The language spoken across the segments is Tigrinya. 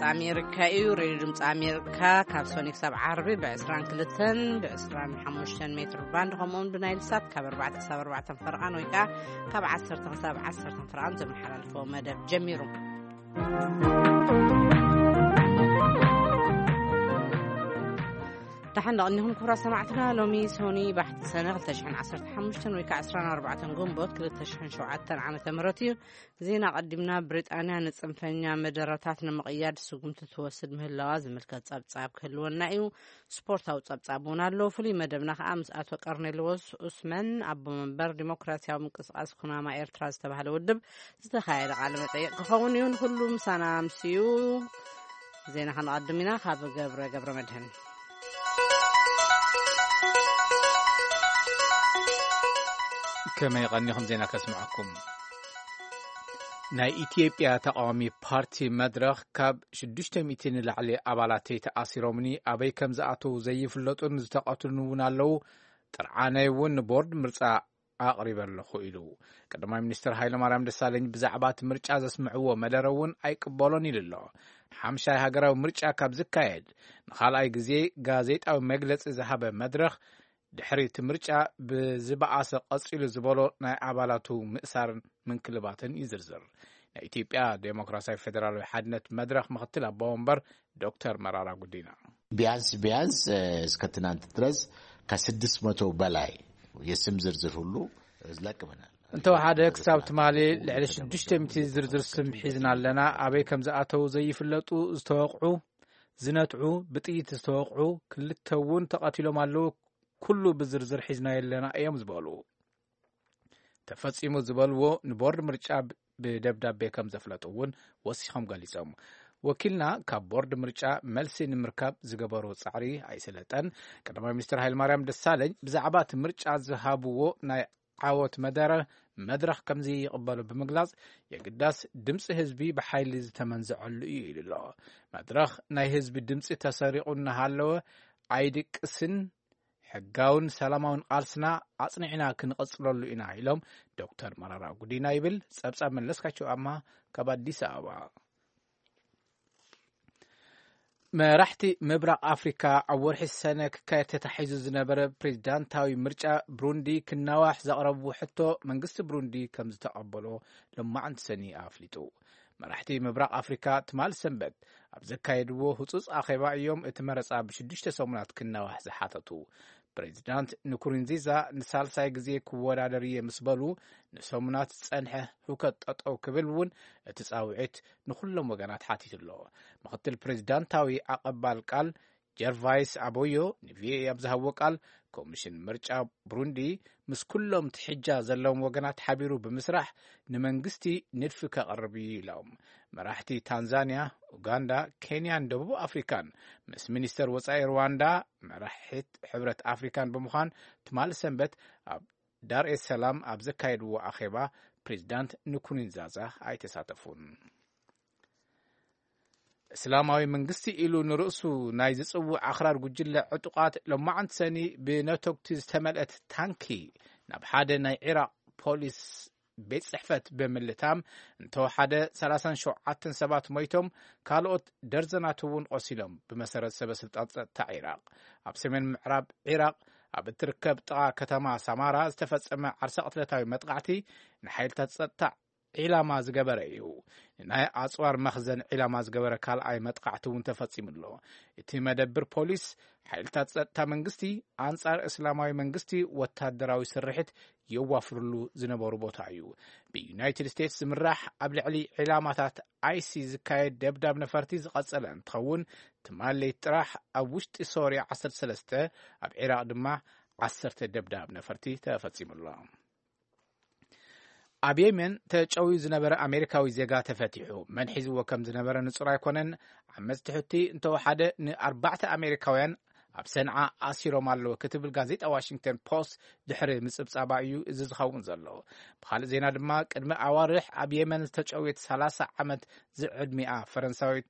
ኣሜሪካ እዩ። ሬድዮ ድምፂ ኣሜሪካ ካብ ሶኒ ክሳብ ዓርቢ ብ22 ብ25 ሜትር ባንድ፣ ከምኡውን ብናይል ሳት ካብ ኣርባዕተ ክሳብ ኣርባዕተ ፈርቓን ወይ ከዓ ካብ ዓሰርተ ክሳብ ዓሰርተ ፈርቓን ዘመሓላልፎ መደብ ጀሚሩ። ደሓን ደቐኒኹም ክቡራት ሰማዕትና። ሎሚ ሶኒ ባሕቲ ሰነ ክልተ ሽሕን ዓሰርተ ሓሙሽተን ወይ ከዓ ዕስራን ኣርባዕተን ግንቦት ክልተ ሽሕን ሸውዓተን ዓመተ ምህረት እዩ። ዜና ቀዲምና። ብሪጣንያ ንጽንፈኛ መደረታት ንምቕያድ ስጉምቲ ትወስድ ምህላዋ ዝምልከት ጸብጻብ ክህልወና እዩ። ስፖርታዊ ጸብጻብ እውን ኣሎ። ፍሉይ መደብና ከኣ ምስ ኣቶ ቀርኔልዎስ ኡስመን፣ ኣቦ መንበር ዲሞክራሲያዊ ምንቅስቃስ ኩናማ ኤርትራ ዝተባህለ ውድብ ዝተኻየደ ቃለ መጠይቕ ክኸውን እዩ። ንኹሉ ምሳና ኣምስዩ። ዜና ከነቐድም ኢና። ካብ ገብረ ገብረ መድህን። ከመይ ቀኒኹም? ዜና ከስምዐኩም። ናይ ኢትዮጵያ ተቃዋሚ ፓርቲ መድረኽ ካብ ሽዱሽተ ሚእቲ ንላዕሊ ኣባላተይ ተኣሲሮምኒ፣ ኣበይ ከም ዝኣተዉ ዘይፍለጡን ዝተቐትሉን እውን ኣለዉ። ጥርዓነይ እውን ንቦርድ ምርጫ ኣቕሪበ ኣለኹ ኢሉ። ቀዳማይ ሚኒስትር ሃይለማርያም ደሳለኝ ብዛዕባ እቲ ምርጫ ዘስምዕዎ መደረ እውን ኣይቅበሎን ኢሉ ኣሎ። ሓምሻይ ሃገራዊ ምርጫ ካብ ዝካየድ ንኻልኣይ ግዜ ጋዜጣዊ መግለጺ ዝሃበ መድረኽ፣ ድሕሪ እቲ ምርጫ ብዝበኣሰ ቀጺሉ ዝበሎ ናይ ኣባላቱ ምእሳርን ምንክልባትን ይዝርዝር። ናይ ኢትዮጵያ ዴሞክራሲያዊ ፌደራላዊ ሓድነት መድረኽ ምኽትል ኣቦ ወንበር ዶክተር መራራ ጉዲና። ቢያንስ ቢያንስ፣ እ፣ እስከ ትናንት ድረስ ከስድስት መቶ በላይ የስም ዝርዝር ሁሉ ለቅመናል። እንተወሓደ ክሳብ ትማሊ ልዕሊ ሽዱሽተ ሚእቲ ዝርዝር ስም ሒዝና ኣለና። ኣበይ ከም ዝኣተዉ ዘይፍለጡ፣ ዝተወቕዑ፣ ዝነትዑ፣ ብጥይት ዝተወቕዑ፣ ክልተ እውን ተቐቲሎም ኣለዉ። ኩሉ ብዝርዝር ሒዝናዮ ኣለና እዮም ዝበሉ። ተፈጺሙ ዝበልዎ ንቦርድ ምርጫ ብ-፣ ብደብዳቤ ከም ዘፍለጡ እውን ወሲኾም ገሊጾም። ወኪልና ካብ ቦርድ ምርጫ መልሲ ንምርካብ ዝገበሮ ጻዕሪ ኣይሰለጠን። ቀዳማይ ሚኒስትር ሃይለማርያም ደሳለኝ ብዛዕባ እቲ ምርጫ ዝሃብዎ ናይ ዓወት መደረ መድረኽ ከም ዘይቕበሎ ብምግላጽ፣ የግዳስ ድምጺ ህዝቢ ብሓይሊ ዝተመንዘዐሉ እዩ ኢሉ ኣሎ። መድረኽ ናይ ህዝቢ ድምጺ ተሰሪቑ እናሃለወ ኣይድቅስን፣ ሕጋውን ሰላማውን ቃልስና ኣጽኒዕና ክንቐጽለሉ ኢና ኢሎም ዶክተር መራራ ጉዲና ይብል ጸብጻብ መለስካቸው ኣማ ካብ ኣዲስ ኣበባ። መራሕቲ ምብራቕ ኣፍሪካ ኣብ ወርሒ ሰነ ክካየድ ተታሒዙ ዝነበረ ፕሬዚዳንታዊ ምርጫ ብሩንዲ ክናዋሕ ዘቕረብዎ ሕቶ መንግስቲ ብሩንዲ ከም ዝተቐበሎ ሎማዕንቲ ሰኒ ኣፍሊጡ። መራሕቲ ምብራቕ ኣፍሪካ ትማል ሰንበት ኣብ ዘካየድዎ ህጹጽ ኣኼባ እዮም እቲ መረጻ ብሽዱሽተ ሰሙናት ክናዋሕ ዝሓተቱ። ፕሬዚዳንት ንኩሩንዚዛ ንሳልሳይ ግዜ ክወዳደር እየ ምስ በሉ፣ ንሰሙናት ዝጸንሐ ህውከት ጠጠው ክብል እውን እቲ ጻውዒት ንኹሎም ወገናት ሓቲቱ ኣሎ። ምኽትል ፕሬዚዳንታዊ ኣቐባል ቃል ጀርቫይስ ኣቦዮ ንቪኦኤ ኣብ ዝሃብዎ ቃል፣ ኮሚሽን ምርጫ ብሩንዲ ምስ ኩሎም ትሕጃ ዘለዎም ወገናት ሓቢሩ ብምስራሕ ንመንግስቲ ንድፊ ከቕርብ እዩ ኢሎም። መራሕቲ ታንዛንያ፣ ኡጋንዳ፣ ኬንያን ደቡብ ኣፍሪካን ምስ ሚኒስተር ወጻኢ ሩዋንዳ፣ መራሒት ሕብረት ኣፍሪካን ብምዃን ትማሊ ሰንበት ኣብ ዳር ኤስ ሰላም ኣብ ዘካየድዎ ኣኼባ ፕሬዚዳንት ንኩሩንዛዛ ኣይተሳተፉን። እስላማዊ መንግስቲ ኢሉ ንርእሱ ናይ ዝጽውዕ ኣኽራር ጉጅለ ዕጡቓት ሎማዕንቲ ሰኒ ብነተጉቲ ዝተመልአት ታንኪ ናብ ሓደ ናይ ዒራቕ ፖሊስ ቤት ጽሕፈት ብምልታም እንተወሓደ ሰላሳን ሸውዓተን ሰባት ሞይቶም፣ ካልኦት ደርዘናት እውን ቆሲሎም፣ ብመሰረት ሰበ ስልጣን ጸጥታ ዒራቕ። ኣብ ሰሜን ምዕራብ ዒራቕ ኣብ እትርከብ ጥቓ ከተማ ሳማራ ዝተፈጸመ ዓርሰ ቅትለታዊ መጥቃዕቲ ንሓይልታት ጸጥታ ዒላማ ዝገበረ እዩ። ንናይ ኣጽዋር መኽዘን ዒላማ ዝገበረ ካልኣይ መጥቃዕቲ እውን ተፈጺሙ ኣሎ። እቲ መደብር ፖሊስ፣ ሓይልታት ጸጥታ መንግስቲ ኣንጻር እስላማዊ መንግስቲ ወታደራዊ ስርሒት የዋፍርሉ ዝነበሩ ቦታ እዩ። ብዩናይትድ ስቴትስ ዝምራሕ ኣብ ልዕሊ ዒላማታት ኣይሲ ዝካየድ ደብዳብ ነፈርቲ ዝቐጸለ እንትኸውን፣ ትማል ለይቲ ጥራሕ ኣብ ውሽጢ ሶርያ ዓሰርተ ሰለስተ፣ ኣብ ዒራቕ ድማ ዓሰርተ ደብዳብ ነፈርቲ ተፈጺሙ ኣሎ። ኣብ የመን ተጨውዩ ዝነበረ ኣሜሪካዊ ዜጋ ተፈቲሑ። መን ሒዝዎ ከም ዝነበረ ንጹር ኣይኮነን። ዓመጽቲ ሕቲ እንተወሓደ ንኣርባዕተ ኣሜሪካውያን ኣብ ሰንዓ ኣሲሮም ኣለዉ ክትብል ጋዜጣ ዋሽንግተን ፖስት ድሕሪ ምጽብጻባ እዩ እዚ ዝኸውን ዘሎ። ብኻልእ ዜና ድማ፣ ቅድሚ ኣዋርሕ ኣብ የመን ዝተጨውየት ሰላሳ ዓመት ዝዕድሚኣ ፈረንሳዊት፣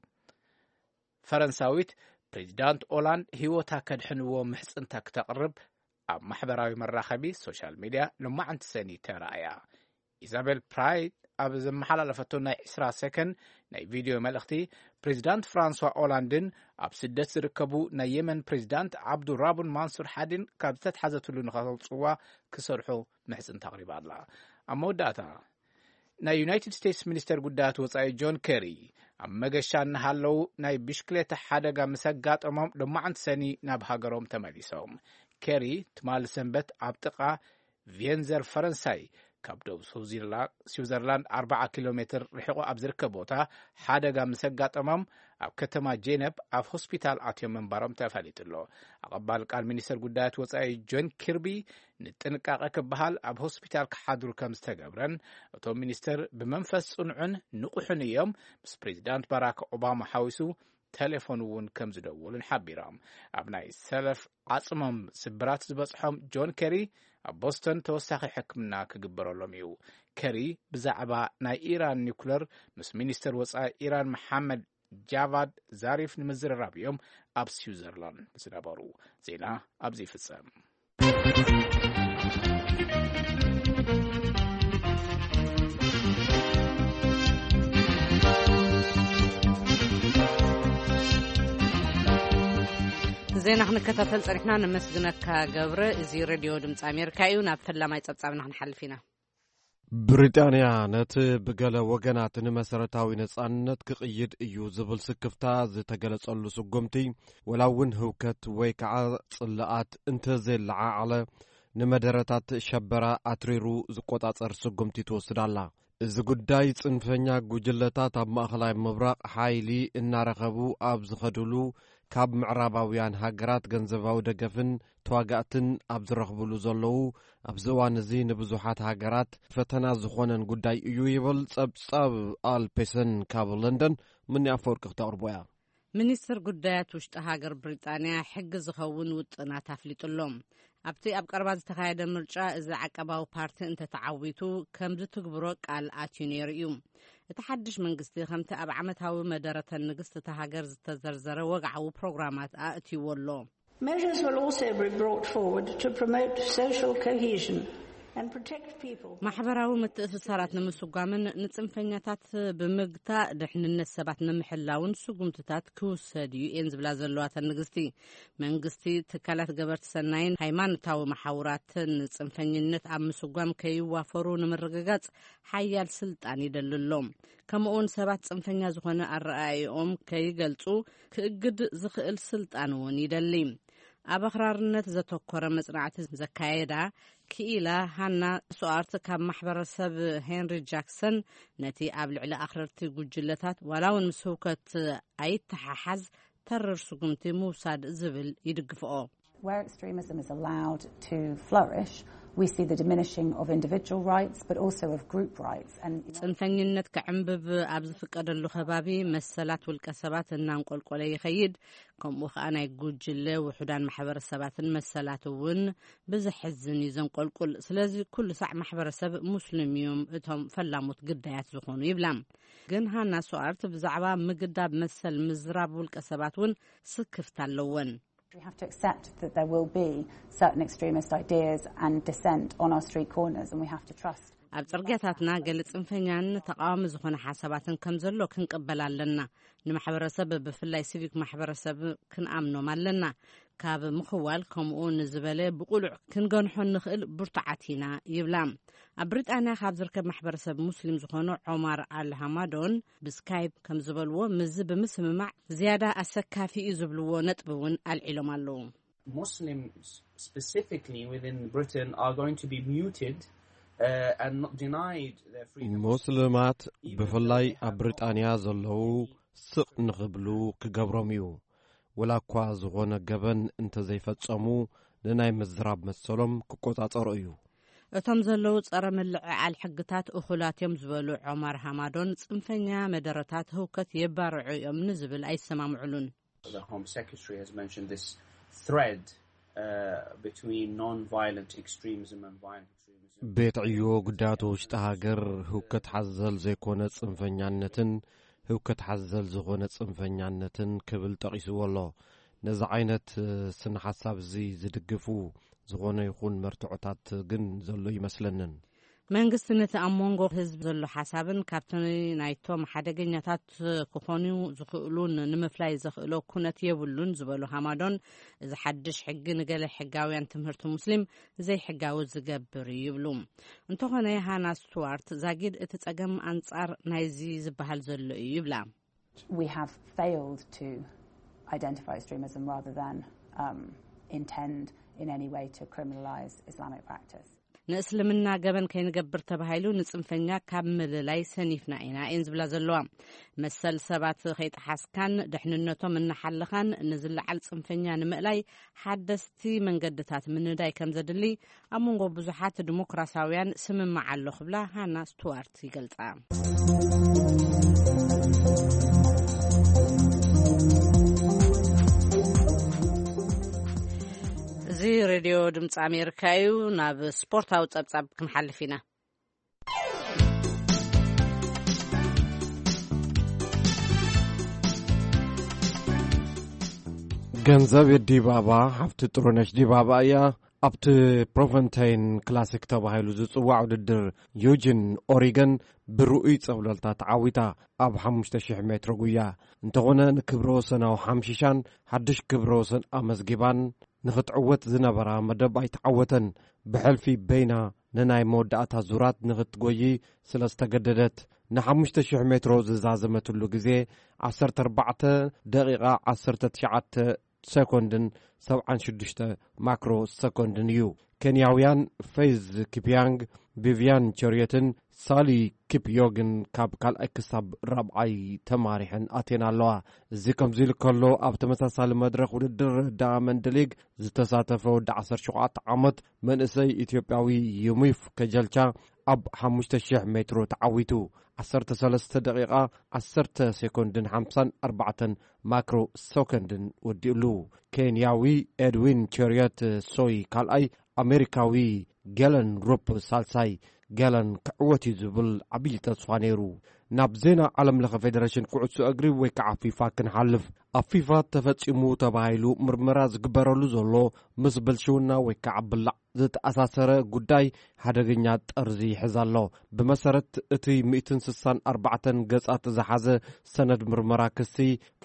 ፈረንሳዊት ፕሬዚዳንት ኦላንድ ህይወታ ከድሕንዎ ምሕጽንታ ክተቕርብ ኣብ ማሕበራዊ መራኸቢ ሶሻል ሚድያ ሎማዕንቲ ሰኒ ተራእያ። ኢዛቤል ፕራይድ ኣብ ዘመሓላለፈቶ ናይ ዕስራ ሰከንድ ናይ ቪድዮ መልእኽቲ፣ ፕሬዚዳንት ፍራንሷ ኦላንድን ኣብ ስደት ዝርከቡ ናይ የመን ፕሬዚዳንት ዓብዱራቡን ማንሱር ሓዲን ካብ ዝተትሓዘትሉ ንኸተውፅዋ ክሰርሑ ምሕፅንታ ኣቕሪባ ኣላ። ኣብ መወዳእታ፣ ናይ ዩናይትድ ስቴትስ ሚኒስተር ጉዳያት ወጻኢ ጆን ኬሪ፣ ኣብ መገሻ እናሃለዉ ናይ ብሽክሌታ ሓደጋ ምስ ኣጋጠሞም ሎማዓንቲ ሰኒ ናብ ሃገሮም ተመሊሶም። ኬሪ ትማሊ ሰንበት ኣብ ጥቓ ቪየንዘር ፈረንሳይ፣ ካብ ደቡብ ስዊዘርላ- ስዊዘርላንድ ኣርባዓ ኪሎ ሜትር ርሒቑ ኣብ ዝርከብ ቦታ ሓደጋ ምስ ኣጋጠሞም፣ ኣብ ከተማ ጄነብ ኣብ ሆስፒታል ኣትዮም ምንባሮም ተፈሊጡ ኣሎ። ኣቐባል ቃል ሚኒስተር ጉዳያት ወጻኢ ጆን ኪርቢ፣ ንጥንቃቐ ክበሃል ኣብ ሆስፒታል ክሓድሩ ከም ዝተገብረን፣ እቶም ሚኒስተር ብመንፈስ ጽኑዕን ንቑሕን እዮም፣ ምስ ፕሬዚዳንት ባራክ ኦባማ ሓዊሱ ቴሌፎን እውን ከም ዝደወሉን ሓቢሮም። ኣብ ናይ ሰለፍ ዓጽሞም ስብራት ዝበጽሖም ጆን ኬሪ፣ ኣብ ቦስተን ተወሳኺ ሕክምና ክግበረሎም እዩ። ኬሪ ብዛዕባ ናይ ኢራን ኒኩለር ምስ ሚኒስተር ወጻኢ ኢራን መሓመድ ጃቫድ ዛሪፍ ንምዝርራብ እዮም ኣብ ስዊዘርላንድ ዝነበሩ። ዜና ኣብዚ ይፍጸም። ዜና ክንከታተል ጸኒሕና፣ ነመስግነካ ገብረ። እዚ ሬድዮ ድምፂ ኣሜሪካ እዩ። ናብ ፈላማይ ጸብጻብና ክንሓልፍ ኢና። ብሪጣንያ ነቲ ብገለ ወገናት ንመሰረታዊ ነጻነት ክቕይድ እዩ ዝብል ስክፍታ ዝተገለጸሉ ስጉምቲ፣ ወላ እውን ህውከት ወይ ከዓ ጽልኣት እንተዘየለዓዓለ፣ ንመደረታት ሸበራ ኣትሪሩ ዝቆጻጸር ስጉምቲ ትወስድ ኣላ። እዚ ጉዳይ፣ ጽንፈኛ ጉጅለታት ኣብ ማእኸላይ ምብራቕ ሓይሊ እናረኸቡ ኣብ ዝኸድሉ፣ ካብ ምዕራባውያን ሃገራት ገንዘባዊ ደገፍን ተዋጋእትን ኣብ ዝረኽብሉ ዘለዉ ኣብዚ እዋን እዚ፣ ንብዙሓት ሃገራት ፈተና ዝኾነን ጉዳይ እዩ ይብል ጸብጻብ ኣልፔሰን ካብ ለንደን። ምኒ ኣፈወርቂ ክተቕርቦ እያ። ሚኒስትር ጉዳያት ውሽጢ ሃገር ብሪጣንያ ሕጊ ዝኸውን ውጥናት ኣፍሊጡ ኣሎ። ኣብቲ ኣብ ቀረባ ዝተኻየደ ምርጫ፣ እዚ ዓቀባዊ ፓርቲ እንተተዓዊቱ፣ ከም ዝትግብሮ ቃል ኣትዩ ነይሩ እዩ። እቲ ሓድሽ መንግስቲ፣ ከምቲ ኣብ ዓመታዊ መደረተን ንግስቲ እታ ሃገር ዝተዘርዘረ ወግዓዊ ፕሮግራማት ኣእትይዎ ኣሎ። Measures will also be brought forward to promote social cohesion and protect people. ማሕበራዊ ምትእስሳራት ንምስጓምን ንጽንፈኛታት ብምግታእ ድሕንነት ሰባት ንምሕላውን ስጉምትታት ክውሰድ እዩ እየን ዝብላ ዘለዋ እተን ንግስቲ። መንግስቲ፣ ትካላት ገበርቲ ሰናይን ሃይማኖታዊ መሓውራትን ንጽንፈኝነት ኣብ ምስጓም ከይዋፈሩ ንምርግጋጽ ሓያል ስልጣን ይደሊ ኣሎ። ከምኡውን ሰባት ጽንፈኛ ዝኾነ ኣረኣእይኦም ከይገልጹ ክእግድ ዝኽእል ስልጣን እውን ይደሊ። ኣብ ኣኽራርነት ዘተኮረ መጽናዕቲ ዘካየዳ ክኢላ ሃና ሶኣርት፣ ካብ ማሕበረሰብ ሄንሪ ጃክሰን፣ ነቲ ኣብ ልዕሊ ኣኽረርቲ ጉጅለታት ዋላ እውን ምስ ህውከት ኣይተሓሓዝ ተርር ስጉምቲ ምውሳድ ዝብል ይድግፍኦ። Where extremism is allowed to flourish, we see the diminishing of individual rights, but also of group rights. And ጽንፈኝነት ክዕንብብ ኣብ ዝፍቀደሉ ከባቢ፣ መሰላት ውልቀ ሰባት እናንቆልቆለ ይኸይድ። ከምኡ ኸኣ፣ ናይ ጉጅለ ውሑዳን ማሕበረሰባትን መሰላት እውን ብዘሕዝን እዩ ዘንቆልቁል። ስለዚ፣ ኩሉ ሳዕ ማሕበረሰብ ሙስሊም እዮም እቶም ፈላሙት ግዳያት ዝኾኑ ይብላ። ግን ሃና ሶኣርት ብዛዕባ ምግዳብ መሰል ምዝራብ ውልቀ ሰባት እውን ስክፍታ ኣለወን። We have to accept that there will be certain extremist ideas and dissent on our street corners, and we have to trust. ኣብ ጽርግያታትና ገለ ጽንፈኛን ተቃዋሚ ዝኾነ ሓሳባትን ከም ዘሎ ክንቅበል ኣለና። ንማሕበረሰብ፣ ብፍላይ ሲቪክ ማሕበረሰብ፣ ክንኣምኖም ኣለና። ካብ ምኽዋል ከምኡ ንዝበለ ብቁሉዕ ክንገንሖ ንኽእል ብርቱዓት ኢና ይብላ። ኣብ ብሪጣንያ ካብ ዝርከብ ማሕበረሰብ ሙስሊም ዝኾኑ ዖማር ኣል ሃማዶን ብስካይፕ ከም ዝበልዎ፣ ምስዚ ብምስምማዕ ዝያዳ ኣሰካፊ እዩ ዝብልዎ ነጥቢ እውን ኣልዒሎም ኣለዉ። Muslims specifically within Britain are going to be muted, uh, and not denied their freedom. ሙስልማት ብፍላይ ኣብ ብሪጣንያ ዘለዉ ስቕ ንኽብሉ ክገብሮም እዩ። ወላ እኳ ዝኾነ ገበን እንተዘይፈጸሙ፣ ንናይ ምዝራብ መሰሎም ክቆጻጸሮ እዩ። እቶም ዘለዉ ጸረ ምልዕዓል ሕግታት እኹላት እዮም ዝበሉ ዖማር ሃማዶን፣ ጽንፈኛ መደረታት ህውከት የባርዑ እዮም ንዝብል ኣይሰማምዕሉን። The Home Secretary has mentioned this thread, uh, between non-violent extremism and violent extremism. ቤት ዕዮ ጉዳያት ውሽጢ ሃገር፣ ህውከት ሓዘል ዘይኮነ ጽንፈኛነትን ህውከት ሓዘል ዝኾነ ጽንፈኛነትን ክብል ጠቒስዎ ኣሎ። ነዚ ዓይነት፣ እ፣ ስነ ሓሳብ እዚ ዝድግፉ ዝኾነ ይኹን መርትዖታት ግን ዘሎ ይመስለንን። መንግስቲ ነቲ ኣብ መንጎ ህዝቢ ዘሎ ሓሳብን ካብቲ ናይቶም ሓደገኛታት ክኾኑ ዝኽእሉን ንምፍላይ ዘኽእሎ ኩነት የብሉን ዝበሉ ሃማዶን፣ እዚ ሓድሽ ሕጊ ንገለ ሕጋውያን ትምህርቲ ሙስሊም ዘይሕጋዊ ዝገብር እዩ ይብሉ። እንተኾነ ሃና ስቱዋርት ዛጊድ እቲ ጸገም ኣንጻር ናይዚ ዝበሃል ዘሎ እዩ ይብላ። We have failed to identify extremism rather than um, intend in any way to criminalise Islamic practice. ንእስልምና ገበን ከይንገብር ተባሂሉ ንጽንፈኛ ካብ ምልላይ ሰኒፍና ኢና እየን ዝብላ ዘለዋ። መሰል ሰባት ከይጠሓስካን ድሕንነቶም እናሓለኻን ንዝለዓል ጽንፈኛ ንምእላይ ሓደስቲ መንገድታት ምንዳይ ከም ዘድሊ ኣብ መንጎ ብዙሓት ዲሞክራሲያውያን ስምምዕ ኣሎ ክብላ ሃና ስቱዋርት ይገልጻ። እዚ ሬድዮ ድምፂ ኣሜሪካ እዩ። ናብ ስፖርታዊ ጸብጻብ ክንሓልፍ ኢና። ገንዘብ ዲባባ ሓፍቲ ጥሩነሽ ዲባባ እያ። ኣብቲ ፕሮፈንታይን ክላሲክ ተባሂሉ ዝጽዋዕ ውድድር ዩጂን ኦሪገን ብርኡይ ጸብለልታ ተዓዊታ ኣብ ሓሙሽተ ሽሕ ሜትሮ ጉያ። እንተኾነ ንክብረ ወሰናዊ ሓምሺሻን ሓድሽ ክብረ ወሰን ኣመዝጊባን ንኽትዕወት ዝነበራ መደብ ኣይተዓወተን። ብሕልፊ በይና ንናይ መወዳእታ ዙራት ንኽትጎዪ ስለ ዝተገደደት ንሓሙሽተ ሽሕ ሜትሮ ዝዛዘመትሉ ግዜ ዓሰርተ ኣርባዕተ ደቂቓ ዓሰርተ ትሽዓተ ሰኮንድን ሰብዓን ሽዱሽተ ማክሮ ሰኮንድን እዩ። ኬንያውያን ፌዝ ኪፕያንግ፣ ቪቪያን ቸርየትን ሳሊ ኪፕዮግን ካብ ካልኣይ ክሳብ ራብዓይ ተማሪሐን ኣትየን ኣለዋ። እዚ ከምዚ ኢሉ ከሎ ኣብ ተመሳሳሊ መድረኽ ውድድር ዳያመንድ ሊግ ዝተሳተፈ ወዲ ዓሰርተ ሸውዓተ ዓመት መንእሰይ ኢትዮጵያዊ ዩሚፍ ከጀልቻ ኣብ ሓሙሽተ ሽሕ ሜትሮ ተዓዊቱ ዓሰርተ ሰለስተ ደቂቓ ዓሰርተ ሴኮንድን ሓምሳን ኣርባዕተን ማክሮ ሰኮንድን ወዲኡሉ። ኬንያዊ ኤድዊን ቸርየት ሶይ ካልኣይ፣ ኣሜሪካዊ ገለን ሩፕ ሳልሳይ። ገለን ክዕወት እዩ ዝብል ዓብዪ ተስፋ ነይሩ። ናብ ዜና ዓለም ለኸ ፌደሬሽን ኩዕሶ እግሪ ወይ ከዓ ፊፋ ክንሓልፍ። ኣብ ፊፋ ተፈጺሙ ተባሂሉ ምርመራ ዝግበረሉ ዘሎ ምስ ብልሽውና ወይ ከዓ ብላዕ ዝተኣሳሰረ ጉዳይ ሓደገኛ ጠርዚ ይሕዝ ኣሎ። ብመሰረት እቲ ሚእትን ስሳን ኣርባዕተን ገጻት ዝሓዘ ሰነድ ምርመራ ክሲ፣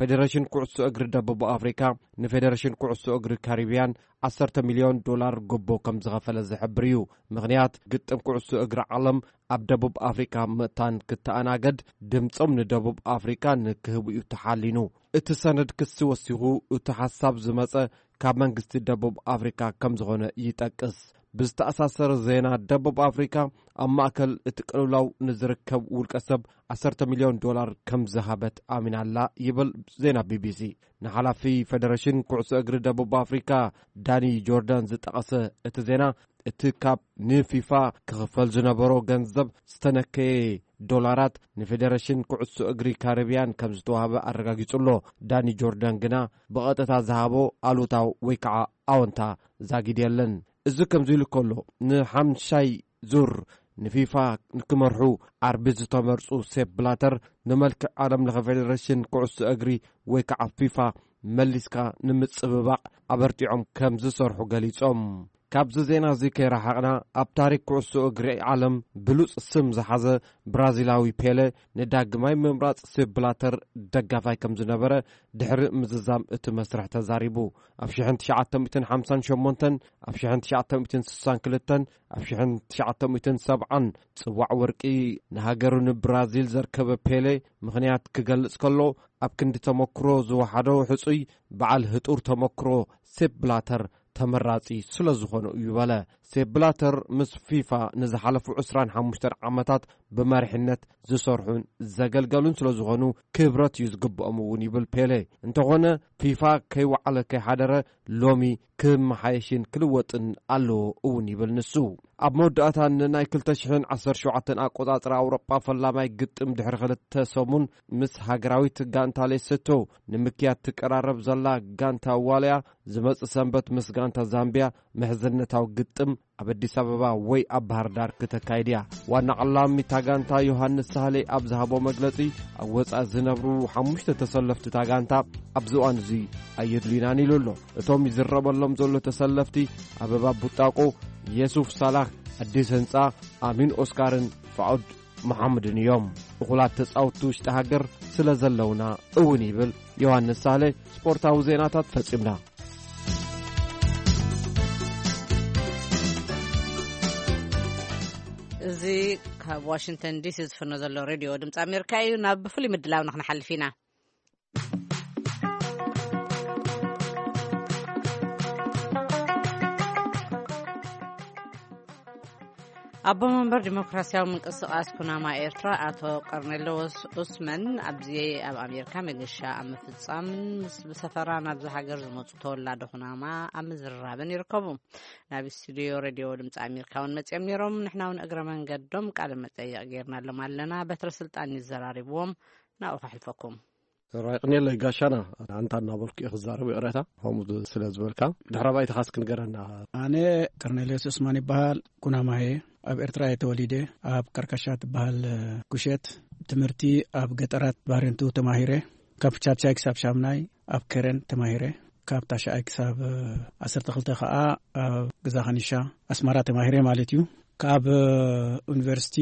ፌደሬሽን ኩዕሶ እግሪ ደቡብ ኣፍሪካ ንፌደሬሽን ኩዕሶ እግሪ ካሪብያን ዓሰርተ ሚልዮን ዶላር ጎቦ ከም ዝኸፈለ ዝሕብር እዩ። ምኽንያት፣ ግጥም ኩዕሶ እግሪ ዓለም ኣብ ደቡብ ኣፍሪካ ምእታን ክተኣናገድ ድምፆም ንደቡብ ኣፍሪካ ንክህቡ እዩ ተሓሊኑ። እቲ ሰነድ ክሲ ወሲኹ፣ እቲ ሓሳብ ዝመፀ ካብ መንግስቲ ደቡብ ኣፍሪካ ከም ዝኾነ ይጠቅስ። ብዝተኣሳሰረ ዜና፣ ደቡብ ኣፍሪካ ኣብ ማእከል እቲ ቅልውላው ንዝርከብ ውልቀ ሰብ ዓሰርተ ሚልዮን ዶላር ከም ዝሃበት ኣሚና ኣላ ይብል ዜና ቢቢሲ። ንሓላፊ ፌደሬሽን ኩዕሶ እግሪ ደቡብ ኣፍሪካ ዳኒ ጆርዳን ዝጠቐሰ እቲ ዜና፣ እቲ ካብ ንፊፋ ክኽፈል ዝነበሮ ገንዘብ ዝተነከየ ዶላራት ንፌደሬሽን ኩዕሶ እግሪ ካሪብያን ከም ዝተዋህበ ኣረጋጊጹ ኣሎ። ዳኒ ጆርዳን ግና ብቐጥታ ዝሃቦ ኣሉታዊ ወይ ከዓ ኣወንታ ዛጊድ የለን። እዚ ከምዚ ኢሉ ከሎ፣ ንሓምሻይ ዙር ንፊፋ ንክመርሑ ዓርቢ ዝተመርጹ ሴፕ ብላተር፣ ንመልክዕ ዓለም ለኸ ፌደሬሽን ኩዕሶ እግሪ ወይ ከዓ ፊፋ መሊስካ ንምጽብባቕ ኣበርቲዖም ከም ዝሰርሑ ገሊጾም። ካብዚ ዜና እዚ ከይረሓቕና፣ ኣብ ታሪክ ኩዕሶ እግሪ ዓለም ብሉጽ ስም ዝሓዘ ብራዚላዊ ፔለ ንዳግማይ ምምራጽ ሴፕ ብላተር ደጋፋይ ከም ዝነበረ ድሕሪ ምዝዛም እቲ መስርሕ ተዛሪቡ። ኣብ ሽሕን ትሽዓተ ሚእትን ሓምሳን ሸሞንተን፣ ኣብ ሽሕን ትሽዓተ ሚእትን ስሳን ክልተን፣ ኣብ ሽሕን ትሽዓተ ሚእትን ሰብዓን ጽዋዕ ወርቂ ንሃገሩ ንብራዚል ዘርከበ ፔሌ ምኽንያት ክገልጽ ከሎ፣ ኣብ ክንዲ ተመክሮ ዝወሓዶ ሕጹይ በዓል ህጡር ተመክሮ ሴፕ ብላተር ተመራጺ ስለ ዝኾኑ እዩ በለ። ሴፕ ብላተር ምስ ፊፋ ንዝሓለፉ ዕስራን ሓሙሽተን ዓመታት ብመሪሕነት ዝሰርሑን ዘገልገሉን ስለ ዝኾኑ ክብረት እዩ ዝግብኦም እውን ይብል ፔሌ። እንተኾነ ፊፋ ከይወዓለ ከይሓደረ ሎሚ ክመሓየሽን ክልወጥን ኣለዎ እውን ይብል ንሱ። ኣብ መወዳእታ ንናይ ክልተ ሽሕን ዓሰርተ ሸውዓተን ኣቆጻጽራ ኣውሮጳ ፈላማይ ግጥም ድሕሪ ክልተ ሰሙን ምስ ሃገራዊት ጋንታ ሌሶቶ ንምክያድ ትቀራረብ ዘላ ጋንታ ዋልያ ዝመጽእ ሰንበት ምስ ጋንታ ዛምቢያ ምሕዝነታዊ ግጥም ኣብ ኣዲስ ኣበባ ወይ ኣብ ባህር ዳር ክተካይድ እያ። ዋና ዓላሚ እታ ጋንታ ዮሃንስ ሳህሌ ኣብ ዝሃቦ መግለጺ፣ ኣብ ወጻኢ ዝነብሩ ሓሙሽተ ተሰለፍቲ እታ ጋንታ ኣብዚ እዋን እዚ ኣየድልዩናን ኢሉ ኣሎ። እቶም ይዝረበሎም ዘሎ ተሰለፍቲ ኣበባ ቡጣቆ፣ የሱፍ ሳላህ፣ ኣዲስ ህንጻ፣ ኣሚን ኦስካርን ፋዑድ መሓሙድን እዮም። እኹላት ተጻወትቲ ውሽጢ ሃገር ስለ ዘለውና እውን ይብል ዮሃንስ ሳሌ። ስፖርታዊ ዜናታት ፈጺምና። እዚ ካብ ዋሽንግተን ዲሲ ዝፍኖ ዘሎ ሬድዮ ድምፂ ኣሜሪካ እዩ። ናብ ፍሉይ ምድላው ንክንሓልፍ ኢና። ኣቦ መንበር ዲሞክራሲያዊ ምንቅስቃስ ኩናማ ኤርትራ ኣቶ ቀርኔሎስ ኡስመን ኣብዚ ኣብ ኣሜሪካ መገሻ ኣብ ምፍጻምን ምስ ብሰፈራ ናብዚ ሃገር ዝመጹ ተወላዶ ኩናማ ኣብ ምዝርራብን ይርከቡ። ናብ ስቱዲዮ ሬድዮ ድምፂ ኣሜሪካ እውን መጺኦም ነይሮም። ንሕና እውን እግረ መንገዶም ቃለ መጠይቕ ጌርናሎም ኣለና። በትረ ስልጣን ይዘራርብዎም። ናብኡ ከሕልፈኩም። ራይ ቅኔለይ ጋሻና፣ ኣንታ እናበልኩ እየ ክዛረብ፣ ይቕሬታ፣ ከምኡ ስለ ዝበልካ። ድሕረ ባይታኻስ ክንገረና። ኣነ ቀርኔሌዎስ ዑስማን ይበሃል፣ ኩናማየ። ኣብ ኤርትራ እየ ተወሊደ። ኣብ ካርካሻ ትበሃል ኩሸት ትምህርቲ ኣብ ገጠራት ባሬንቱ ተማሂረ። ካብ ቻብቻይ ክሳብ ሻምናይ ኣብ ከረን ተማሂረ። ካብ ታሽኣይ ክሳብ ዓሰርተ ክልተ ከኣ ኣብ ግዛ ከኒሻ ኣስመራ ተማሂረ ማለት እዩ። ካብ ዩኒቨርሲቲ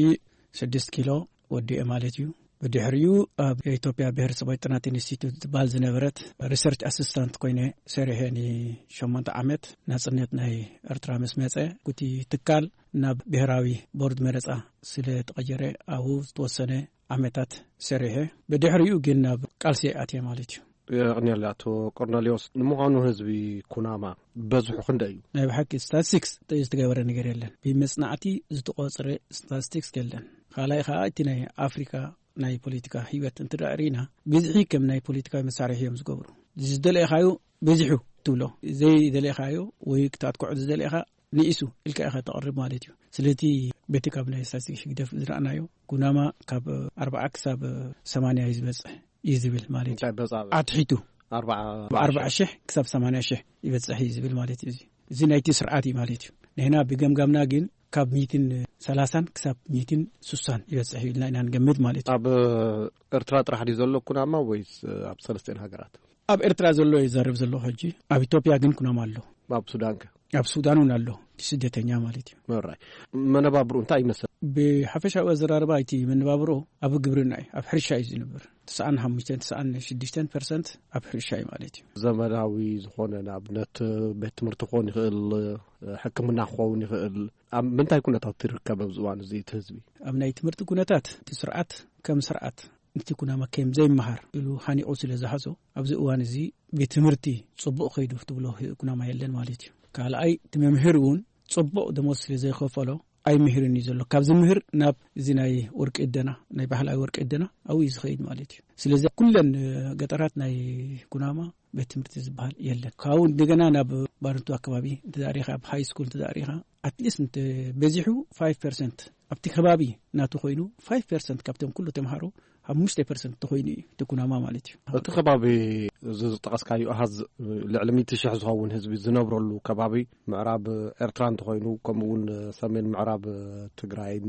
ስድስት ኪሎ ወዲኤ ማለት እዩ። ብድሕሪኡ ኣብ ኢትዮጵያ ብሄረሰባዊ ጥናት ኢንስቲትዩት ዝበሃል ዝነበረት ሪሰርች ኣሲስታንት ኮይነ ሰሪሐ ንሸሞንተ ዓመት። ናጽነት ናይ ኤርትራ ምስ መጸ፣ እቲ ትካል ናብ ብሄራዊ ቦርድ መረጻ ስለ ተቐየረ ኣብኡ ዝተወሰነ ዓመታት ሰሪሐ። ብድሕሪኡ ግን ናብ ቃልሲ ኣትየ ማለት እዩ። የቕንየለይ ኣቶ ቆርኔሌዎስ። ንምዃኑ ህዝቢ ኩናማ በዝሑ ክንደይ እዩ? ናይ ብሓቂ ስታቲስቲክስ ዝተገበረ ነገር የለን። ብመጽናዕቲ ዝተቖጽረ ስታቲስቲክስ የለን። ካልኣይ ከኣ እቲ ናይ ኣፍሪካ ናይ ፖለቲካ ህይወት እንተ ደኣ ርኢና፣ ብዝሒ ከም ናይ ፖለቲካዊ መሳርሒ እዮም ዝገብሩ። ዝደለኻዮ በዚሑ ትብሎ፣ ዘይደለኻዮ ወይ ክተጥቅዖ ዝደለኻ ንኢሱ ኢልካ ኢኻ ተቕርብ ማለት እዩ። ስለቲ በቲ ካብ ናይ ስታቲስቲክስ ህግደፍ ዝረኣናዮ፣ ኩናማ ካብ ኣርብዓ ክሳብ ሰማንያ እዩ ዝበጽሕ እዩ ዝብል ማለት እዩ። እንታይ በጻ? ኣትሒቱ ኣርብዓ ኣርብዓ ሺሕ ክሳብ ሰማንያ ሺሕ ይበጽሕ እዩ ዝብል ማለት እዩ። እዚ፣ እዚ ናይቲ ስርዓት እዩ ማለት እዩ። ንሕና ብገምጋምና ግን ካብ ሚእትን ሰላሳን ክሳብ ሚእትን ስሳን ይበጽሕ እዩ ኢልና ኢና ንገምት ማለት እዩ። ኣብ ኤርትራ ጥራሕ ድዩ ዘሎ ኩናማ ወይስ ኣብ ሰለስቲኤን ሃገራት? ኣብ ኤርትራ ዘሎ ይዛረብ ዘሎ ሕጂ። ኣብ ኢትዮጵያ ግን ኩናማ ኣሎ። ኣብ ሱዳን ከ? ኣብ ሱዳን እውን ኣሎ። እቲ ስደተኛ ማለት እዩ። መራይ። መነባብሩ እንታይ ይመስል? ብሓፈሻዊ ኣዘራርባ እቲ መነባብሮ ኣብ ግብርና እዩ፣ ኣብ ሕርሻ እዩ ዝነብር። ተስዓን ሓሙሽተን፣ ተስዓን ሽዱሽተን ፐርሰንት ኣብ ሕርሻ እዩ ማለት እዩ። ዘመናዊ ዝኾነ ንኣብነት ቤት ትምህርቲ ክኾን ይኽእል፣ ሕክምና ክኸውን ይኽእል። ኣብ ምንታይ ኩነታት ይርከብ ኣብዚ እዋን እዚ እቲ ህዝቢ? ኣብ ናይ ትምህርቲ ኩነታት እቲ ስርዓት ከም ስርዓት እቲ ኩናማ ከም ዘይመሃር ኢሉ ሃኒቑ ስለ ዝሓዞ፣ ኣብዚ እዋን እዚ ቤት ትምህርቲ ጽቡቕ ከይዱ ትብሎ ኩናማ የለን ማለት እዩ። ካልኣይ፣ እቲ መምህር እውን ጽቡቕ ደሞዝ ስለ ዘይኸፈሎ ኣይምህርን እዩ ዘሎ። ካብ ዝምህር ናብ እዚ ናይ ወርቂ እደና፣ ናይ ባህላዊ ወርቂ እደና ኣብኡ እዩ ዝኸይድ ማለት እዩ። ስለዚ ኩለን፣ እ፣ ገጠራት ናይ ኩናማ ቤት ትምህርቲ ዝበሃል የለን። ካብኡ እንደገና ናብ ባረንቱ ኣከባቢ እንተ ደኣ ርኢኻ፣ ኣብ ሃይ ስኩል እንተ ደኣ ርኢኻ፣ ኣትሊስት እንተ በዚሑ ፋይቭ ፐርሰንት ኣብቲ ከባቢ ናቱ ኮይኑ፣ ፋይቭ ፐርሰንት ካብቶም ኩሉ ተምሃሮ ሓሙሽተ ፐርሰንት ተኾይኑ እዩ እቲ ኩናማ ማለት እዩ። እቲ ከባቢ እዚ ዝጠቐስካዮ ኣሃዝ ልዕሊ ሚእቲ ሽሕ ዝኸውን ህዝቢ ዝነብረሉ ከባቢ ምዕራብ ኤርትራ እንተኾይኑ፣ ከምኡ እውን ሰሜን ምዕራብ ትግራይን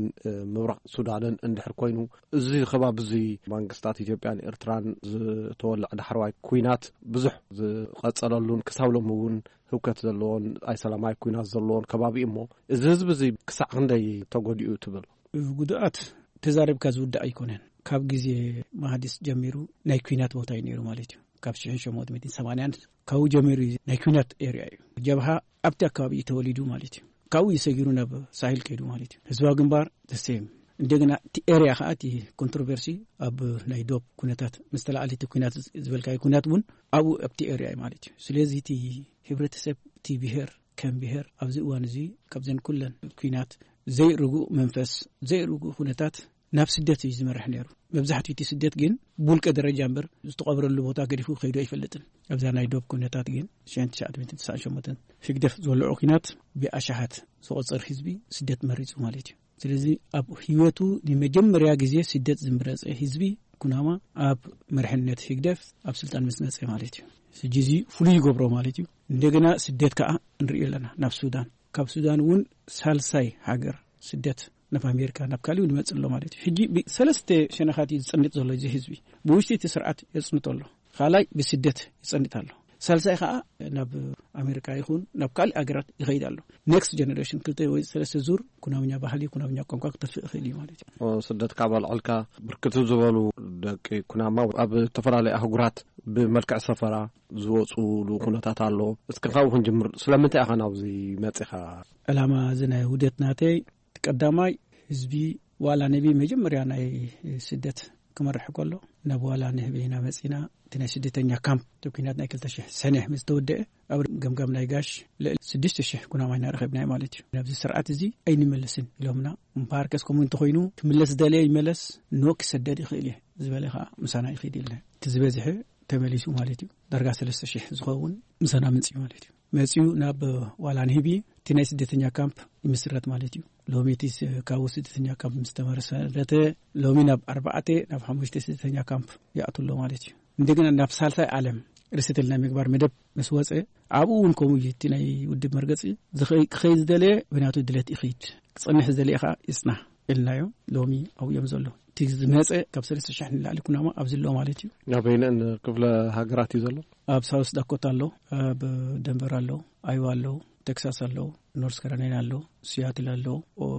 ምብራቕ ሱዳንን እንድሕር ኮይኑ፣ እዚ ከባቢ እዚ መንግስታት ኢትዮጵያን ኤርትራን ዝተወልዐ ዳሕረዋይ ኲናት ብዙሕ ዝቐጸለሉን ክሳብ ሎሚ እውን ህውከት ዘለዎን ኣይሰላማዊ ኲናት ዘለዎን ከባቢ እዩ እሞ፣ እዚ ህዝቢ እዚ ክሳዕ ክንደይ ተጎዲኡ ትብል? ጉድኣት ተዛሪብካ ዝውዳእ ኣይኮነን። ካብ ግዜ ማሃዲስ ጀሚሩ ናይ ኲናት ቦታ እዩ ነይሩ ማለት እዩ። ካብ ሽሕን ሸሞንተ ሚእትን ሰማንያን ካብኡ ጀሚሩ እዩ ናይ ኲናት ኤርያ እዩ። ጀብሃ ኣብቲ ኣከባቢ እዩ ተወሊዱ ማለት እዩ። ካብኡ እዩ ሰጊሩ ናብ ሳሂል ከይዱ ማለት እዩ። ህዝባዊ ግንባር the same። እንደገና እቲ ኤርያ ከዓ እቲ ኮንትሮቨርሲ ኣብ ናይ ዶብ ኩነታት ምስ ተላዓለ እቲ ኩናት ዝበልካዮ ኩናት እውን ኣብኡ ኣብቲ ኤርያ እዩ ማለት እዩ። ስለዚ እቲ ህብረተሰብ እቲ ብሄር ከም ብሄር ኣብዚ እዋን እዚ ካብዘን ኩለን ኲናት ዘይርጉእ መንፈስ ዘይርጉእ ኩነታት ናብ ስደት እዩ ዝመርሕ ነይሩ። መብዛሕትኡ እቲ ስደት ግን ብውልቀ ደረጃ እምበር ዝተቐብረሉ ቦታ ገዲፉ ከይዱ ኣይፈልጥን። ኣብዛ ናይ ዶብ ኩነታት ግን ሽሕን ትሽዓተ ሚእትን ትስዓን ሸሞንተን ህግደፍ ዝወልዖ ኲናት ብኣሽሓት ዝቑጸር ህዝቢ ስደት መሪጹ ማለት እዩ። ስለዚ ኣብ ህይወቱ ንመጀመርያ ግዜ ስደት ዝምረጸ ህዝቢ ኩናማ ኣብ መርሕነት ህግደፍ ኣብ ስልጣን ምስ መጸ ማለት እዩ። ሕጂ እዚ ፍሉይ ይገብሮ ማለት እዩ። እንደገና ስደት ከኣ ንሪኦ ኣለና ናብ ሱዳን። ካብ ሱዳን እውን ሳልሳይ ሃገር ስደት ናብ ኣሜሪካ፣ ናብ ካልእ እውን ይመጽእ ኣሎ ማለት እዩ። ሕጂ ብሰለስተ ሸነኻት እዩ ዝጸንጥ ዘሎ እዚ ህዝቢ። ብውሽጢ እቲ ስርዓት የጽንቶ ኣሎ። ካልኣይ ብስደት ይጸንጥ ኣሎ። ሳልሳይ ከኣ ናብ ኣሜሪካ ይኹን ናብ ካልእ ሃገራት ይኸይድ ኣሎ። ኔክስት ጀነሬሽን ክልተ ወይ ሰለስተ ዙር ኩናምኛ ባህሊ፣ ኩናምኛ ቋንቋ ክጠፍእ ይኽእል እዩ ማለት እዩ። ስደት ካብ ኣልዕልካ፣ ብርክት ዝበሉ ደቂ ኩናማ ኣብ ዝተፈላለዩ ኣህጉራት ብመልክዕ ሰፈራ ዝወፁሉ ኩነታት ኣሎ። እስኪ ካብኡ ክንጅምር። ስለምንታይ ኢኻ ናብዚ መፂኻ? ዕላማ እዚ ናይ ውህደት ናተይ፣ ቀዳማይ ህዝቢ ዋላ ነቢ መጀመርያ ናይ ስደት ክመርሕ ከሎ፣ ናብ ዋላ ንህቢ ኢና መጺና። እቲ ናይ ስደተኛ ካምፕ፣ እቲ ኩናት ናይ ክልተ ሽሕ ሰነ ምስ ተወደአ፣ ኣብ ገምጋም ናይ ጋሽ ልዕሊ ሽዱሽተ ሽሕ ኩናማ ኢና ረኺብናዮ ማለት እዩ። ናብዚ ስርዓት እዚ ኣይንመለስን ኢሎምና። እምበኣርከስ ከምኡ እንተኾይኑ፣ ክምለስ ዝደለየ ይመለስ፣ ኖ ክሰደድ ይኽእል እየ ዝበለ ኸኣ ምሳና ይኽእል ኢልና። እቲ ዝበዝሐ ተመሊሱ ማለት እዩ። ዳርጋ ሰለስተ ሽሕ ዝኸውን ምሳና መጺኡ ማለት እዩ። መጺኡ ናብ ዋላ ንህቢ፣ እቲ ናይ ስደተኛ ካምፕ ይምስረት ማለት እዩ። ሎሚ እቲ ስ-፣ ካብኡ ስደተኛ ካምፕ ምስ ተመሰረተ፣ ሎሚ ናብ ኣርባዕተ ናብ ሓሙሽተ ስደተኛ ካምፕ ይኣቱ ኣሎ ማለት እዩ። እንደገና ናብ ሳልሳይ ዓለም ሪሰትል ናይ ምግባር መደብ ምስ ወጸ፣ ኣብኡ እውን ከምኡ እዩ። እቲ ናይ ውድብ መርገጺ ዝኸይ-፣ ክኸይድ ዝደለየ ብናቱ ድሌት ይኸይድ፣ ክጸንሕ ዝደለየ ኸኣ ይጽናሕ ኢልናዮ። ሎሚ ኣብኡ እዮም ዘሎ። እቲ ዝመጸ ካብ ሰለስተ ሽሕ ንላዕሊ ኩናማ ኣብዚ ኣሎ ማለት እዩ። ኣበይነን ክፍለ ሃገራት እዩ ዘሎ? ኣብ ሳውስ ዳኮታ ኣሎ፣ ኣብ ደንቨር ኣሎ፣ ኣይዋ ኣሎ፣ ቴክሳስ ኣሎ፣ ኖርስ ካሮላይና ኣሎ፣ ሲያትል ኣሎ፣ ኦ-፣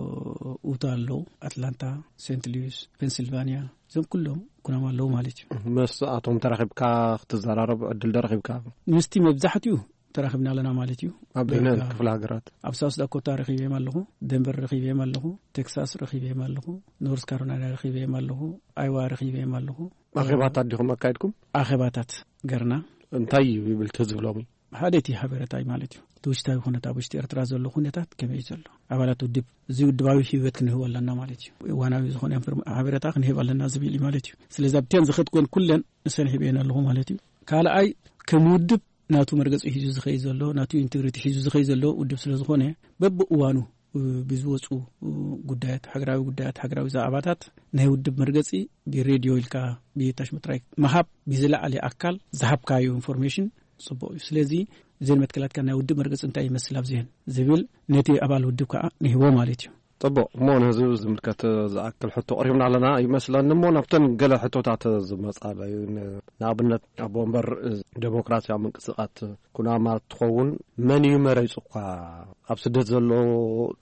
ኡታ ኣሎ፣ ኣትላንታ፣ ሴንት ሉዊስ፣ ፔንሲልቫኒያ፣ እዞም ኩሎም ኩናማ ኣለዉ ማለት እዩ። ምስኣቶም ተራኺብካ ክትዘራረብ ዕድል ዶ ረኺብካ? ምስቲ መብዛሕትኡ ተራኺብና ኣለና ማለት እዩ። ኣበይነን በቃ ክፍለ ሃገራት? ኣብ ሳውስ ዳኮታ ረኺበዮም ኣለኹ፣ ደንቨር ረኺበዮም ኣለኹ፣ ቴክሳስ ረኺበዮም ኣለኹ፣ ኖርስ ካሮላይና ረኺበዮም ኣለኹ፣ ኣይዋ ረኺበዮም ኣለኹ። ኣኼባታት ዲኹም ኣካይድኩም? ኣኼባታት ገርና። እንታይ እዩ ይብል እቲ ህዝቢ ሎሚ? ሓደ እቲ ሓበሬታ እዩ ማለት እዩ። እቲ ውሽጣዊ ኩነታት፣ ኣብ ውሽጢ ኤርትራ ዘሎ ኩነታት ከመይ እዩ ዘሎ? ኣባላት ውድብ፣ እዚ ውድባዊ ህይወት ክንህቦ ኣለና ማለት እዩ። እዋናዊ ዝኾነ ኢንፎርም-፣ ሓበሬታ ክንህብ ኣለና ዝብል እዩ ማለት እዩ። ስለዚ ኣብተን ዝኸድኩወን ኩለን ንሰን ሂበየን ኣለኹ ማለት እዩ። ካልኣይ፣ ከም ውድብ ናቱ መርገጺ ሒዙ ዝኸይድ ዘሎ፣ ናቱ ኢንቴግሪቲ ሒዙ ዝኸይድ ዘሎ ውድብ ስለ ዝኾነ፣ በብእዋኑ፣ እ፣ ብዝወጹ፣ እ፣ ጉዳያት፣ ሃገራዊ ጉዳያት፣ ሃገራዊ ዛዕባታት ናይ ውድብ መርገጺ ብሬድዮ ኢልካ፣ ብታሽሙ ጥራይ ምሃብ፣ ብዝለዓለ ኣካል ዝሃብካዮ ኢንፎርሜሽን ጽቡቕ እዩ። ስለዚ፣ እዘን መትከላትካ ናይ ውድብ መርገጺ እንታይ ይመስል ኣብዚአን ዝብል ነቲ ኣባል ውድብ ከኣ ንህቦ ማለት እዩ። ጽቡቕ። እሞ ነዚ ዝምልከት ዝኣክል ሕቶ ኣቕሪብና ኣለና ይመስለኒ። እሞ ናብተን ገለ ሕቶታት ዝመጻለዩ፣ ን-፣ ንኣብነት፣ ኣቦ ወንበር ዴሞክራስያዊ ምንቅስቓስ ኩናማ ትኸውን፣ መን እዩ መሪጹካ? ኣብ ስደት ዘሎ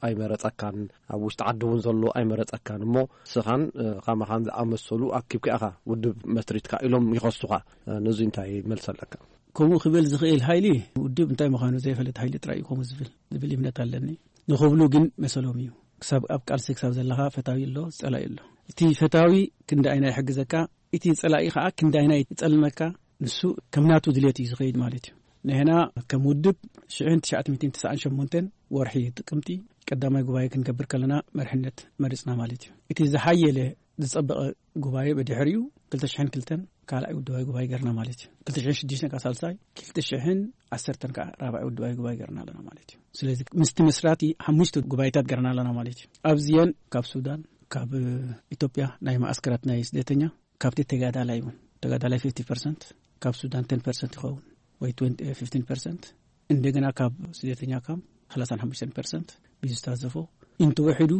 ኣይመረጸካን፣ ኣብ ውሽጢ ዓዲ እውን ዘሎ ኣይመረጸካን። እሞ ንስኻን፣ እ፣ ከማኻን ዝኣመሰሉ ኣኪብካ ኢኻ ውድብ መስሪትካ ኢሎም ይኸሱኻ። እ፣ ነዚ እንታይ መልሲ ኣለካ? ከምኡ ክብል ዝኽእል ሓይሊ፣ ውድብ እንታይ ምዃኑ ዘይፈልጥ ሓይሊ ጥራይ እዩ ከምኡ ዝብል፣ ዝብል እምነት ኣለኒ። ንኽብሉ ግን መሰሎም እዩ። ክሳብ ኣብ ቃልሲ ክሳብ ዘለኻ ፈታዊ ኣሎ፣ ጸላኢ ኣሎ። እቲ ፈታዊ ክንዲ ኣይና ይሕግዘካ፣ እቲ ጸላኢ ኸኣ ክንዲ ኣይና ይጸልመካ፣ ንሱ ከም ናቱ ድሌት እዩ ዝኸይድ ማለት እዩ። ንሕና ከም ውድብ ሽሕን ትሽዓተ ሚእትን ተስዓን ሸሞንተን ወርሒ ጥቅምቲ ቀዳማይ ጉባኤ ክንገብር ከለና መርሕነት መሪጽና ማለት እዩ። እቲ ዝሓየለ ዝጸበቐ ጉባኤ ብድሕሪኡ ክልተ ሽሕን ክልተን ካልኣይ ውድባዊ ጉባኤ ገርና ማለት እዩ። ክልተ ሽሕን ሽዱሽተን ከኣ ሳልሳይ፣ ክልተ ሽሕን ዓሰርተን ከኣ ራብዓይ ውድባዊ ጉባኤ ገርና ኣለና ማለት እዩ። ስለዚ ምስቲ መስራቲ ሓሙሽተ ጉባኤታት ገርና ኣለና ማለት እዩ። ኣብዚአን ካብ ሱዳን፣ ካብ ኢትዮጵያ ናይ ማእስከራት ናይ ስደተኛ፣ ካብቲ ተጋዳላይ እውን፣ ተጋዳላይ ፊፍቲ ፐርሰንት፣ ካብ ሱዳን ቴን ፐርሰንት ይኸውን ወይ ትወንቲ፣ ፊፍቲን ፐርሰንት፣ እንደገና ካብ ስደተኛ ካምፕ ሰላሳን ሓሙሽተን ፐርሰንት ብዝተሳተፎ፣ እንተወሒዱ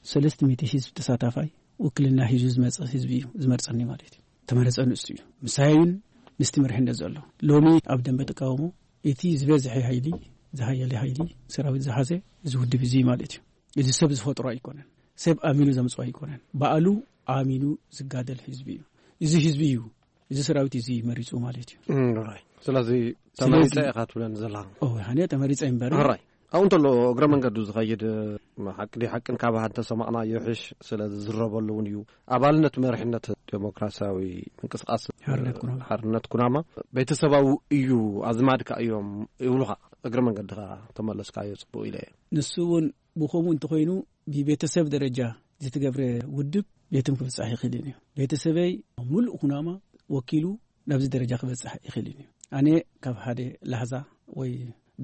ሰለስተ ሚእቲ ህዝቢ ተሳታፋይ ውክልና ሒዙ ዝመጸ ህዝቢ እዩ ዝመርጸኒ ማለት እዩ። ተመረጸ ንሱ እዩ። ምሳይን ምስቲ መሪሕነት ዘሎ። ሎሚ ኣብ ደንበ ተቃውሞ እቲ ዝበዝሐ ሓይሊ፣ ዝሃየለ ሓይሊ፣ ሰራዊት ዝሓዘ እዚ ውድብ እዚ ማለት እዩ። እዚ ሰብ ዝፈጥሮ ኣይኮነን። ሰብ ኣሚኑ ዘምጽኦ ኣይኮነን። ባዕሉ ኣሚኑ ዝጋደል ህዝቢ እዩ። እዚ ህዝቢ እዩ፣ እዚ ሰራዊት እዚ መሪጹ ማለት እዩ። እም፣ ራይ። ስለዚ ስለዚ ተመሪጸ ኢኻ ትብለኒ ዘለኻ? ኦ፣ ኣነ ተመሪጸ እምበር። ራይ። ኣብኡ እንተሎ እግረ መንገዱ ዝኸይድ፣ ሓቂ ድዩ ሓቅን ካብ እንተሰማዕናዮ ይሕሽ፣ ስለ ዝዝረበሉ እውን እዩ። ኣባልነት መሪሕነት ዴሞክራሲያዊ ምንቅስቃስ ሓርነት ኩናማ። ሓርነት ኩናማ ቤተሰባዊ እዩ፣ ኣዝማድካ እዮም ይብሉኻ። እግረ መንገድኻ ተመለስካዮ ጽቡቕ ኢለ እየ። ንሱ እውን ብኸምኡ እንተኾይኑ ብቤተሰብ ደረጃ ዝተገብረ ውድብ ቤትም ክብጻሕ ይኽእልን እዩ። ቤተሰበይ ምሉእ ኩናማ ወኪሉ ናብዚ ደረጃ ክበጽሕ ይኽእልን እዩ። ኣነ ካብ ሓደ ላህዛ ወይ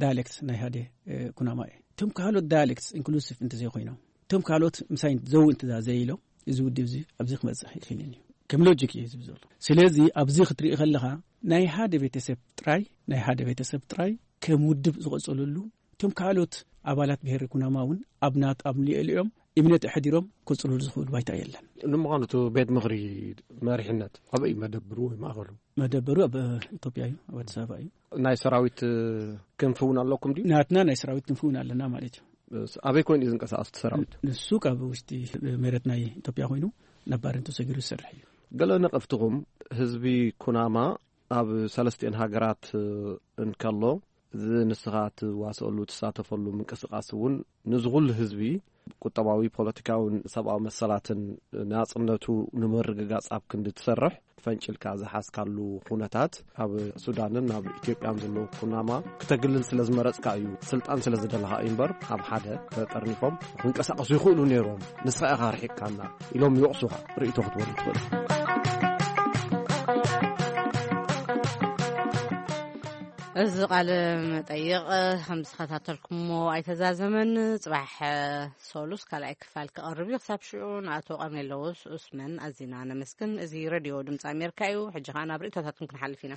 ዳያሌክት ናይ ሓደ፣ እ፣ ኩናማ እየ። እቶም ካልኦት ዳያሌክትስ ኢንክሉሲቭ እንተዘይኮይኖም፣ እቶም ካልኦት ምሳይ ዘው እንተዘይኢሎም፣ እዚ ውድብ እዚ ኣብዚ ክበጽሕ ይኽእልን እዩ። ከም ሎጂክ እዩ ዝብል ዘሎ። ስለዚ ኣብዚ ክትርኢ ከለኻ ናይ ሓደ ቤተሰብ ጥራይ፣ ናይ ሓደ ቤተሰብ ጥራይ ከም ውድብ ዝቐጸለሉ፣ እቶም ካልኦት ኣባላት ብሄር ኩናማ እውን ኣብ ናት-፣ ኣብ ልዕሊኦም እምነት ኣሕዲሮም ክቕጽልሉ ዝኽእሉ ባይታ የለን። ንምዃኑ እቲ ቤት ምኽሪ መሪሕነት ኣበይ መደብሩ ወይ ማእኸሉ? መደበሩ ኣብ ኢትዮጵያ እዩ፣ ኣብ ኣዲስ ኣበባ እዩ። ናይ ሰራዊት ክንፊ እውን ኣለኩም ድዩ? ናትና ናይ ሰራዊት ክንፊ እውን ኣለና ማለት እዩ። ኣበይ ኮይኑ እዩ ዝንቀሳቐስ እቲ ሰራዊት? ንሱ ካብ ውሽጢ መሬት ናይ ኢትዮጵያ ኮይኑ ነባር እንተሰጊሩ ዝሰርሕ እዩ። ገለ ነቐፍትኹም፣ ህዝቢ ኩናማ ኣብ ሰለስቲኤን ሃገራት እንከሎ፣ እዚ ንስኻ ትዋሰኣሉ ትሳተፈሉ ምንቅስቃስ እውን ንዚ ኩሉ ህዝቢ ቁጠባዊ፣ ፖለቲካውን ሰብኣዊ መሰላትን ናጽነቱ ንምርግጋጽ ኣብ ክንዲ ትሰርሕ፣ ፈንጭልካ ዝሓዝካሉ ኩነታት ኣብ ሱዳንን ኣብ ኢትዮጵያን ዘለዉ ኩናማ ክተግልል ስለ ዝመረጽካ እዩ፣ ስልጣን ስለ ዝደለኻ እዩ እምበር፣ ኣብ ሓደ ተጠርኒፎም ክንቀሳቐሱ ይኽእሉ ነይሮም፣ ንስኻ ኢኻ ርሒቕካና ኢሎም ይወቕሱኻ። ርእይቶ ክትበሉ ትኽእሉ። እዚ ቃለ መጠይቕ ከም ዝኸታተልኩሞ ኣይተዛዘመን። ጽባሕ ሰሉስ ካልኣይ ክፋል ክቐርብ እዩ። ክሳብ ሽዑ ንኣቶ ቀርኔለዎስ ዑስመን ኣዚና ነመስግን። እዚ ሬድዮ ድምፂ ኣሜሪካ እዩ። ሕጂ ኸዓ ናብ ርእይቶታትኩም ክንሓልፍ ኢና።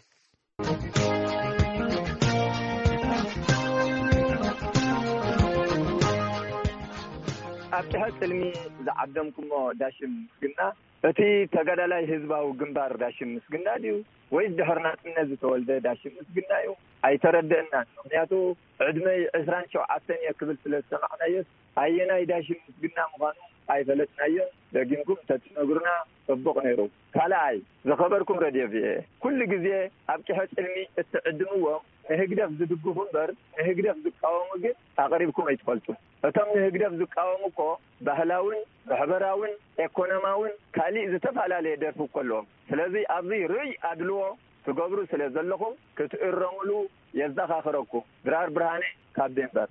ኣብ ጭሐ ጽልሚ ዝዓደምኩሞ ዳሽም ምስግና፣ እቲ ተጋዳላይ ህዝባዊ ግንባር ዳሽም ምስግና ድዩ ወይስ ድሕሪ ናጽነት ዝተወልደ ዳሽም ምስግና እዩ? ኣይተረደእናን። ምኽንያቱ ዕድመይ ዕስራን ሸውዓተን እየ ክብል ስለ ዝሰማዕናዮስ፣ ኣየናይ ዳሽም ምስግና ምዃኑ ኣይፈለጥናዮን። ደጊምኩም እንተትነግሩና ጽቡቕ ነይሩ። ካልኣይ፣ ዝኸበርኩም ረድዮ ቪኦኤ፣ ኩሉ ግዜ ኣብ ጭሐ ጽልሚ እትዕድምዎም ንህግደፍ ዝድግፉ እምበር ንህግደፍ ዝቃወሙ ግን ኣቕሪብኩም ኣይትፈልጡን። እቶም ንህግደፍ ዝቃወሙ እኮ ባህላውን ማሕበራውን ኤኮኖማውን ካሊእ ዝተፈላለየ ደርፊ እኮ ኣለዎም። ስለዚ ኣብዚ ርኡይ ኣድልዎ ትገብሩ ስለ ዘለኹም ክትእረሙሉ የዘኻኽረኩም። ድራር ብርሃነ ካብ ዴንቨር።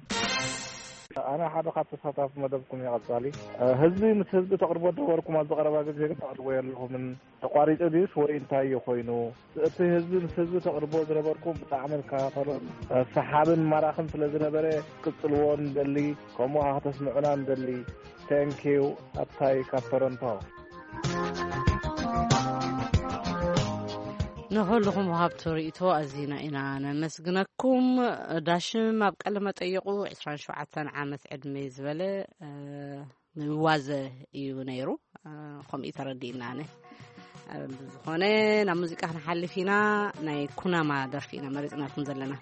ኣነ ሓደ ካብ ተሳታፊ መደብኩም እየ። ቀጻሊ፣ እ፣ ህዝቢ ምስ ህዝቢ ተቕርቦ ነበርኩም፣ ኣብዚ ቀረባ ግዜ ግን ተቕርቦ የለኹምን። ተቋሪጹ ድዩስ ወይ እንታይ እዩ ኮይኑ? እቲ ህዝቢ ምስ ህዝቢ ተቕርቦ ዝነበርኩም ብጣዕሚ ዝከታተሎን፣ እ፣ ሰሓብን ማራኽን ስለ ዝነበረ ቅጽልዎ ንደሊ፣ ከምኡ ኸዓ ከተስምዑና ንደሊ። ቴንኪዩ። ኣታይ ካብ ቶሮንቶ። ንኹልኹም ወሃብቲ ርእይቶ ኣዚና ኢና ነመስግነኩም። ዳሽም ኣብ ቃለ መጠይቑ ዕስራን ሸውዓተን ዓመት ዕድመ ዝበለ፣ እ፣ ይዋዘ እዩ ነይሩ። እ፣ ከምኡ እዩ ተረዲእና ኣነ። እ፣ ብዝኾነ ናብ ሙዚቃ ክንሓልፍ ኢና። ናይ ኩናማ ደርፊ ኢና መሪጽናልኩም ዘለና።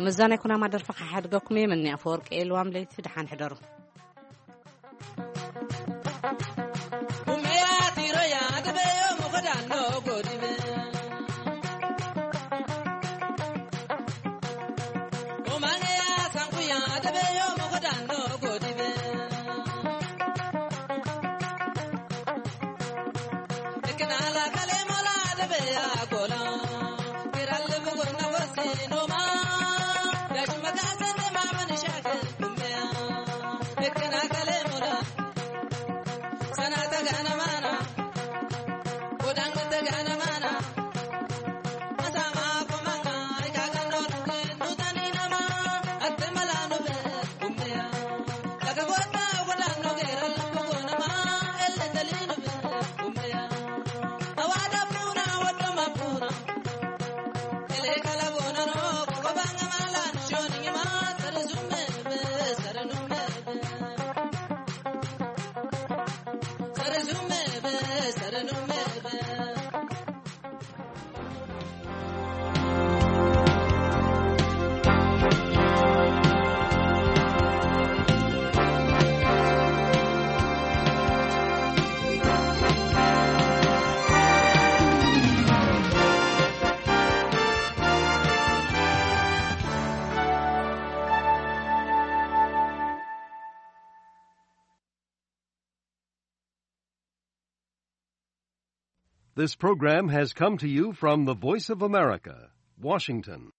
ምስዛ ናይ ኩናማ ደርፊ ክሓድገኩም እየ። መኒ ኣፈወርቂ እየ። ልዋም ለይቲ፣ ደሓን ሕደሩ። This program has come to you from the Voice of America, Washington.